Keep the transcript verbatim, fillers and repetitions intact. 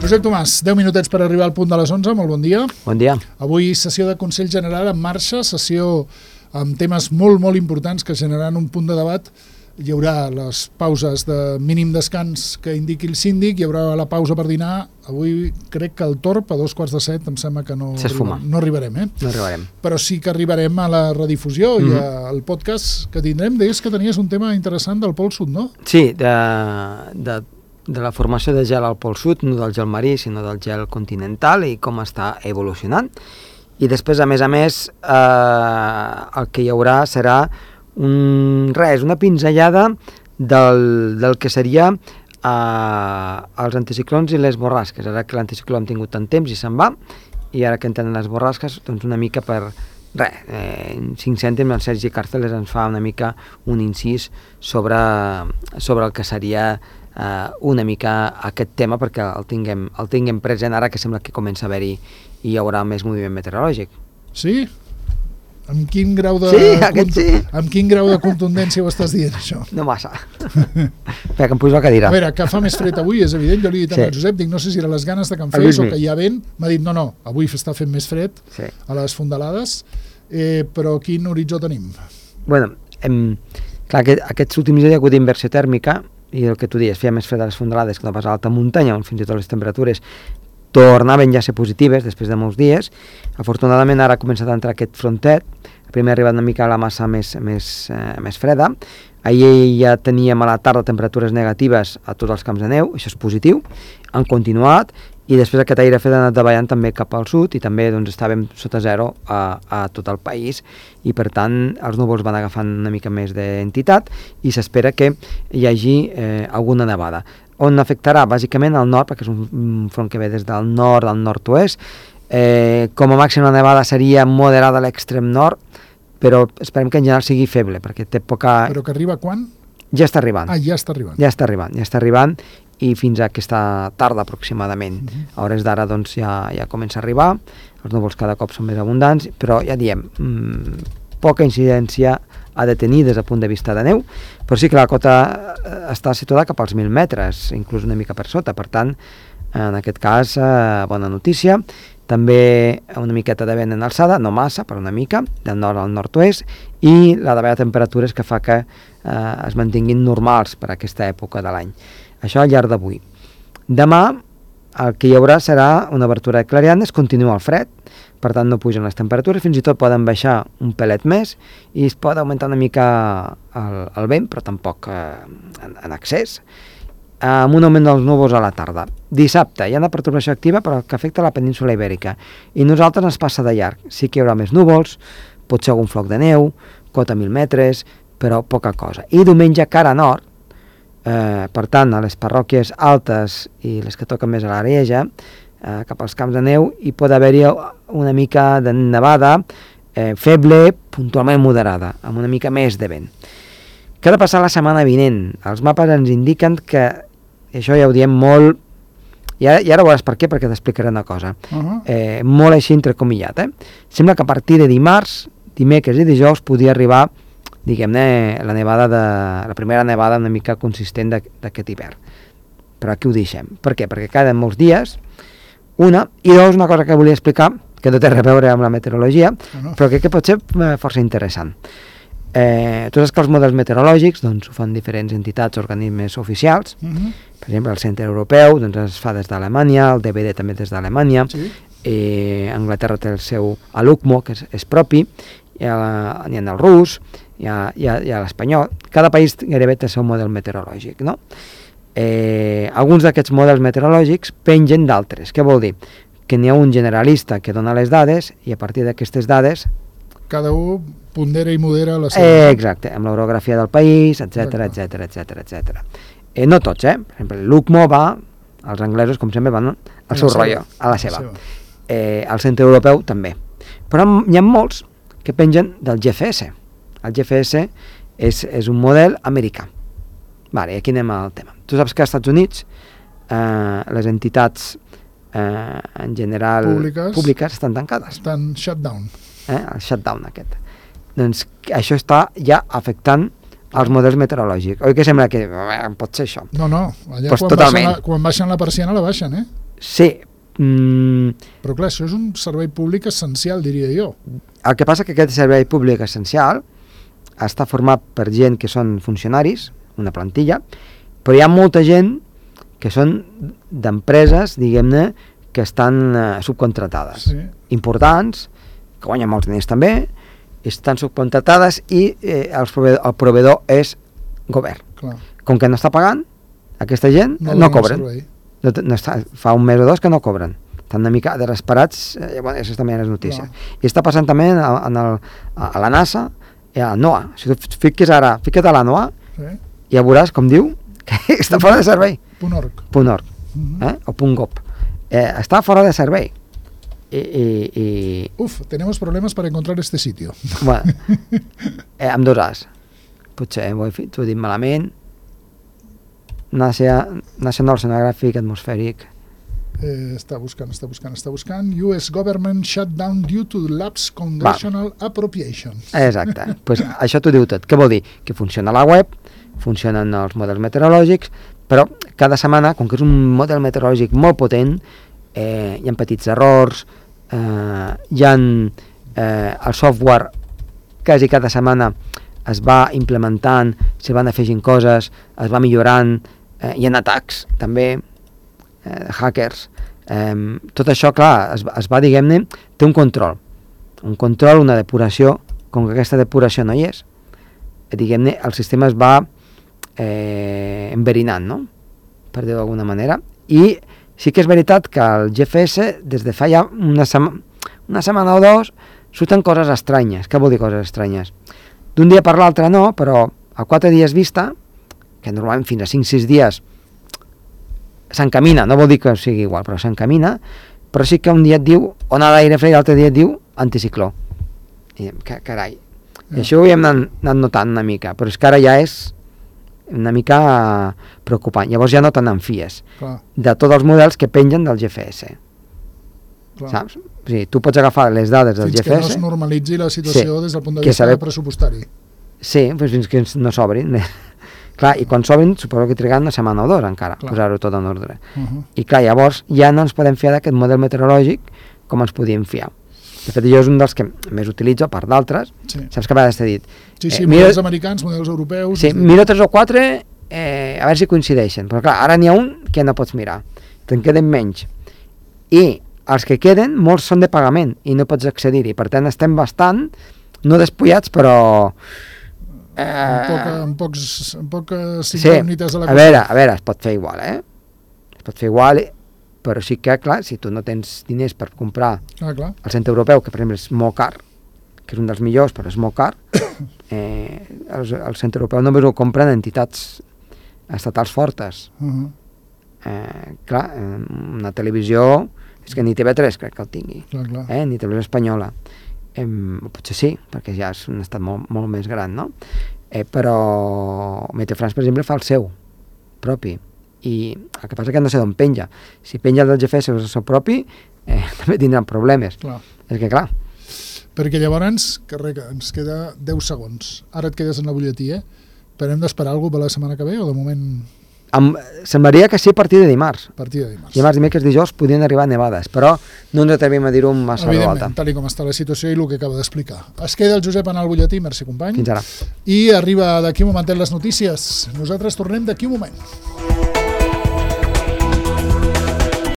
Josep Tomàs, deu minutets per arribar al punt de les onze, molt bon dia. Bon dia. Avui sessió de Consell General en marxa, sessió amb temes molt, molt importants que generaran un punt de debat. Hi haurà les pauses de mínim descans que indiqui el síndic, hi haurà la pausa per dinar. Avui crec que el torb a dos quarts de set em sembla que no, arriba, no arribarem, eh? No arribarem. Però sí que arribarem a la redifusió mm-hmm. i al podcast que tindrem. Deies que tenies un tema interessant del Pol Sud, no? Sí, de, de, de la formació de gel al Pol Sud, no del gel marí, sinó del gel continental i com està evolucionant. I després, a més a més, eh, el que hi haurà serà un, res, una pinzellada del, del que seria eh, els anticiclons i les borrasques. Ara que l'anticicló hem tingut tant temps i se'n va, i ara que en tenen les borrasques, doncs una mica per res, eh, cinc cèntims, el Sergi Càrceles ens fa una mica un incís sobre, sobre el que seria eh, una mica aquest tema, perquè el tinguem, el tinguem present ara que sembla que comença a haver-hi i hi haurà més moviment meteorològic. Sí? Amb quin grau de, sí, aquest sí. Amb quin grau de contundència ho estàs dient, això? No massa. Espera, que em pujo la cadira. A veure, que fa més fred avui, és evident. Jo li he dit sí. a Josep, dic, no sé si eren les ganes de que em fes o que hi ha vent. M'ha dit, no, no, avui està fent més fred sí. a les fondalades, eh, però quin horitzó tenim? Bueno, hem, clar, aquest, aquests últims dies hi ha hagut inversió tèrmica i el que tu dius, feia més fred a les fondalades que no pas a l'alta muntanya, on fins i tot les temperatures tornaven ja a ser positives després de molts dies. Afortunadament ara ha començat a entrar aquest frontet, primer ha arribat una mica a la massa més, més, eh, més freda. Ahir ja teníem a la tarda temperatures negatives a tots els camps de neu, això és positiu, han continuat, i després aquest aire fred ha anat davallant també cap al sud i també doncs, estàvem sota zero a, a tot el país i per tant els núvols van agafant una mica més d'entitat i s'espera que hi hagi eh, alguna nevada. On afectarà bàsicament al nord, perquè és un front que ve des del nord al nord-oest. Eh, com a màxim la nevada seria moderada a l'extrem nord, però esperem que en general sigui feble, perquè té poca... Però que arriba quan? Ja està arribant. Ah, ja està arribant. Ja està arribant, ja està arribant, i fins a aquesta tarda aproximadament. Uh-huh. A hores d'ara doncs, ja, ja comença a arribar, els núvols cada cop són més abundants, però ja diem, mmm, poca incidència ha de tenir des del punt de vista de neu, però sí que la cota està situada cap als mil metres, inclús una mica per sota, per tant, en aquest cas, eh, bona notícia. També una miqueta de vent en alçada, no massa, però una mica, del nord al nord-oest, i la davalla de temperatures que fa que eh, es mantinguin normals per a aquesta època de l'any. Això al llarg d'avui. Demà el que hi haurà serà una obertura de clarianes, continua el fred, per tant no pugen les temperatures, fins i tot poden baixar un pelet més i es pot augmentar una mica el, el vent, però tampoc eh, en, en excés, amb un augment dels núvols a la tarda. Dissabte hi ha una pertorbació activa però que afecta la península Ibèrica i nosaltres ens passa de llarg. Sí que hi haurà més núvols, potser algun floc de neu, cota mil metres, però poca cosa. I diumenge cara nord, eh, per tant a les parròquies altes i les que toquen més a l'Arieja, eh, cap als camps de neu, hi pot haver-hi una mica de nevada eh, feble, puntualment moderada, amb una mica més de vent. Què ha de passar la setmana vinent? Els mapes ens indiquen que, això ja ho diem molt, i ara, i ara veuràs per què, perquè t'explicaré una cosa, uh-huh. eh, molt així entrecomillat, eh? Sembla que a partir de dimarts, dimecres i dijous podria arribar, diguem-ne, la nevada de, la primera nevada una mica consistent d'aquest hivern. Però aquí ho deixem. Per què? Perquè queden molts dies, una, i dos, una cosa que volia explicar, que no té res a veure amb la meteorologia, uh-huh. però crec que pot ser força interessant. Eh, tu saps que els models meteorològics doncs, ho fan diferents entitats, organismes oficials, uh-huh. per exemple el Centre Europeu doncs, es fa des d'Alemanya, el D V D també des d'Alemanya, sí. eh, Anglaterra té el seu A L U C M O, que és, és propi, hi ha, hi ha el rus, hi ha, hi ha, hi ha l'espanyol, cada país gairebé té el seu model meteorològic, no? Eh, alguns d'aquests models meteorològics pengen d'altres. Què vol dir? Que n'hi ha un generalista que dona les dades i a partir d'aquestes dades cada un pondera i modera la seva... Eh, exacte, amb l'orografia del país, etcètera, etcètera, etcètera, etcètera. Eh, no tots, eh? Per exemple, l'U C M O va, els anglesos, com sempre, van al seu rotllo, a la seva. Eh, el Centre Europeu també. Però hi ha molts que pengen del G F S. El G F S és, és un model americà. Vale, i aquí anem al tema. Tu saps que als Estats Units eh, les entitats eh, en general públiques, públiques estan tancades. Estan shut down. Eh, el shutdown aquest. Doncs això està ja afectant els models meteorològics. Oi que sembla que eh, pot ser això? No, no, allà pues quan, baixen la, quan baixen la persiana la baixen, eh? Sí. Mm, Però clar, això és un servei públic essencial, diria jo. el que passa que aquest servei públic essencial està format per gent que són funcionaris, una plantilla, però hi ha molta gent que són d'empreses, diguem-ne, que estan eh, subcontratades. Sí. Importants, que guanyen molts diners també, estan subcontratades i eh, el, proveedor, el proveedor és govern. Clar. Com que no està pagant, aquesta gent no, no cobren. No, no està, fa un mes o dos que no cobren. Estan una mica desesperats, eh, bueno, això també és notícia. Clar. I està passant també en el, en el, a la NASA i a la NOAA. Si tu fiques ara, fica't a la NOAA, sí. Ja veuràs, com diu, que està fora de servei. Punt org. Punt org, uh-huh. eh? o punt gov. Eh, està fora de servei. I, i, i... Uf, tenemos problemes per encontrar este sitio. Bueno, eh, amb dos As. Potser ho he, he dit malament. National Oceanographic Atmospheric. Eh, està buscant, està buscant, està buscant. U S government shut down due to lapse congressional Va. appropriations. Exacte. Pues això t'ho diu tot. Què vol dir? Que funciona la web, funcionen els models meteorològics, però cada setmana, com que és un model meteorològic molt potent, eh, hi ha petits errors, eh, hi ha eh, el software quasi cada setmana es va implementant, se van afegint coses, es va millorant, eh, hi ha atacs també, eh, hackers, eh, tot això, clar, es, es va, diguem-ne, té un control, un control, una depuració, com que aquesta depuració no hi és, eh, diguem-ne, el sistema es va eh, enverinant, no?, per dir-ho d'alguna manera, i sí que és veritat que el G F S, des de fa ja una, sema, una setmana o dos, surten coses estranyes. Què vol dir coses estranyes? D'un dia per l'altre no, però a quatre dies vista, que normalment fins a cinc sis dies s'encamina, no vol dir que sigui igual, però s'encamina, però sí que un dia et diu ona d'aire fred i l'altre dia et diu anticicló. I diem, carai, i això ho hem anat, anat notant una mica, però és que ara ja és una mica preocupant. Llavors ja no te n'enfies de tots els models que pengen del G F S. Clar. Saps? O sigui, tu pots agafar les dades del fins G F S... Fins que no es normalitzi la situació sí, des del punt de vista saber... pressupostari. Sí, doncs fins que no s'obrin. Clar, i quan s'obrin suposo que triguen una setmana o dos encara, clar. Posar-ho tot en ordre. Uh-huh. I clar, llavors ja no ens podem fiar d'aquest model meteorològic com ens podíem fiar. De fet, jo és un dels que més utilitzo, a part d'altres. Sí. Saps que a vegades t'he dit... Sí, sí, eh, models mira, americans, models europeus... Sí, miro tres o quatre, eh, a veure si coincideixen. Però clar, ara n'hi ha un que no pots mirar. Te'n queden menys. I els que queden, molts són de pagament i no pots accedir-hi. Per tant, estem bastant, no despullats, però... Eh, en, poca, en pocs, en poques sí, incògnites de la cosa. A veure, a veure, es pot fer igual, eh? Es pot fer igual... però sí que, clar, si tu no tens diners per comprar ah, clar. el centre europeu, que per exemple és molt car, que és un dels millors, però és molt car, eh, el, el centre europeu només ho compren entitats estatals fortes. Uh-huh. eh, clar, una televisió, és que ni T V tres crec que el tingui, clar, clar. Eh, ni televisió espanyola. Eh, potser sí, perquè ja és un estat molt, molt més gran, no? Eh, però Meteo France, per exemple, fa el seu propi. I el que passa que no sé d'on penja. Si penja del G F S o el seu propi, eh, també tindran problemes. Clar. És que clar. Perquè llavors, que res, ens queda deu segons. Ara et quedes en la butlletí, eh? Però hem d'esperar alguna cosa per la setmana que ve o de moment... Em, semblaria que sí a partir de dimarts. A partir de dimarts. Dimarts, dimecres, dijous podien arribar nevades, però no ens atrevim a dir-ho amb massa alta. Evidentment, tal com està la situació i el que acaba d'explicar. Es queda el Josep en el butlletí, merci company. Fins ara. I arriba d'aquí un momentet les notícies. Nosaltres tornem d'aquí un moment.